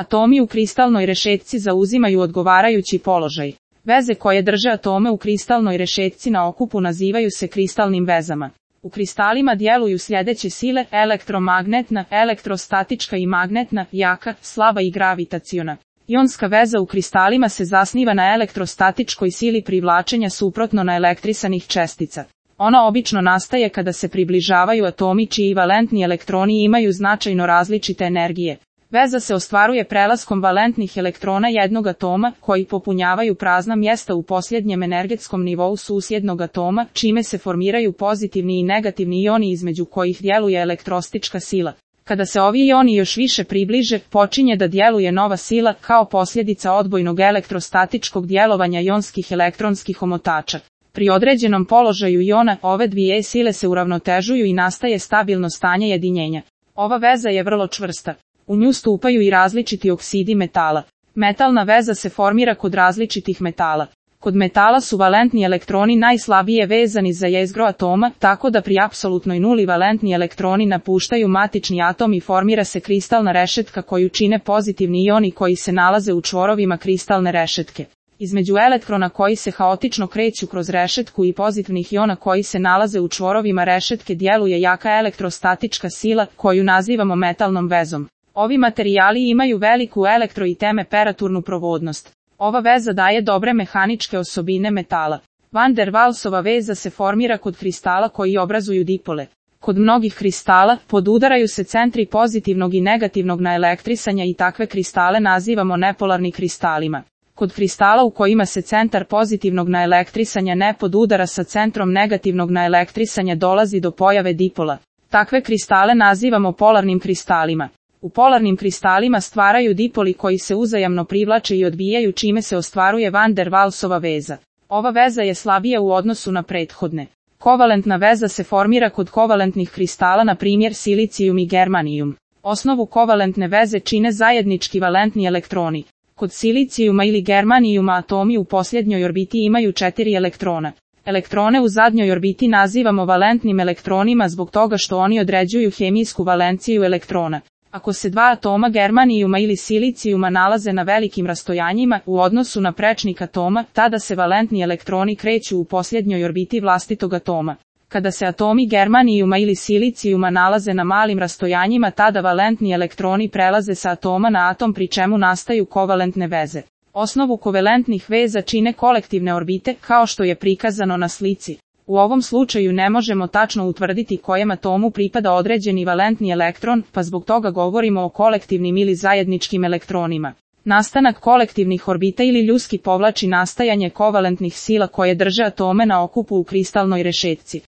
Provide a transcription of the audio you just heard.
Atomi u kristalnoj rešetci zauzimaju odgovarajući položaj. Veze koje drže atome u kristalnoj rešetci na okupu nazivaju se kristalnim vezama. U kristalima djeluju sljedeće sile: elektromagnetna, elektrostatička i magnetna, jaka, slaba i gravitaciona. Ionska veza u kristalima se zasniva na elektrostatičkoj sili privlačenja suprotno na elektrisanih čestica. Ona obično nastaje kada se približavaju atomi čiji valentni elektroni imaju značajno različite energije. Veza se ostvaruje prelaskom valentnih elektrona jednog atoma, koji popunjavaju prazna mjesta u posljednjem energetskom nivou susjednog atoma, čime se formiraju pozitivni i negativni ioni između kojih djeluje elektrostička sila. Kada se ovi ioni još više približe, počinje da djeluje nova sila kao posljedica odbojnog elektrostatičkog djelovanja ionskih elektronskih omotača. Pri određenom položaju iona, ove dvije sile se uravnotežuju i nastaje stabilno stanje jedinjenja. Ova veza je vrlo čvrsta. U nju stupaju i različiti oksidi metala. Metalna veza se formira kod različitih metala. Kod metala su valentni elektroni najslabije vezani za jezgro atoma, tako da pri apsolutnoj nuli valentni elektroni napuštaju matični atom i formira se kristalna rešetka koju čine pozitivni ioni koji se nalaze u čvorovima kristalne rešetke. Između elektrona koji se haotično kreću kroz rešetku i pozitivnih iona koji se nalaze u čvorovima rešetke djeluje jaka elektrostatička sila, koju nazivamo metalnom vezom. Ovi materijali imaju veliku elektro- i temperaturnu provodnost. Ova veza daje dobre mehaničke osobine metala. Van der Waalsova veza se formira kod kristala koji obrazuju dipole. Kod mnogih kristala podudaraju se centri pozitivnog i negativnog naelektrisanja i takve kristale nazivamo nepolarni kristalima. Kod kristala u kojima se centar pozitivnog naelektrisanja ne podudara sa centrom negativnog naelektrisanja dolazi do pojave dipola. Takve kristale nazivamo polarnim kristalima. U polarnim kristalima stvaraju dipoli koji se uzajamno privlače i odbijaju čime se ostvaruje van der Waalsova veza. Ova veza je slabija u odnosu na prethodne. Kovalentna veza se formira kod kovalentnih kristala, na primjer silicijum i germanijum. Osnovu kovalentne veze čine zajednički valentni elektroni. Kod silicijuma ili germanijuma atomi u posljednjoj orbiti imaju 4 elektrona. Elektrone u zadnjoj orbiti nazivamo valentnim elektronima zbog toga što oni određuju hemijsku valenciju elektrona. Ako se dva atoma germanijuma ili silicijuma nalaze na velikim rastojanjima u odnosu na prečnik atoma, tada se valentni elektroni kreću u posljednjoj orbiti vlastitog atoma. Kada se atomi germanijuma ili silicijuma nalaze na malim rastojanjima, tada valentni elektroni prelaze sa atoma na atom pri čemu nastaju kovalentne veze. Osnovu kovalentnih veza čine kolektivne orbite, kao što je prikazano na slici. U ovom slučaju ne možemo tačno utvrditi kojem atomu pripada određeni valentni elektron, pa zbog toga govorimo o kolektivnim ili zajedničkim elektronima. Nastanak kolektivnih orbita ili ljuski povlači nastajanje kovalentnih sila koje drže atome na okupu u kristalnoj rešetci.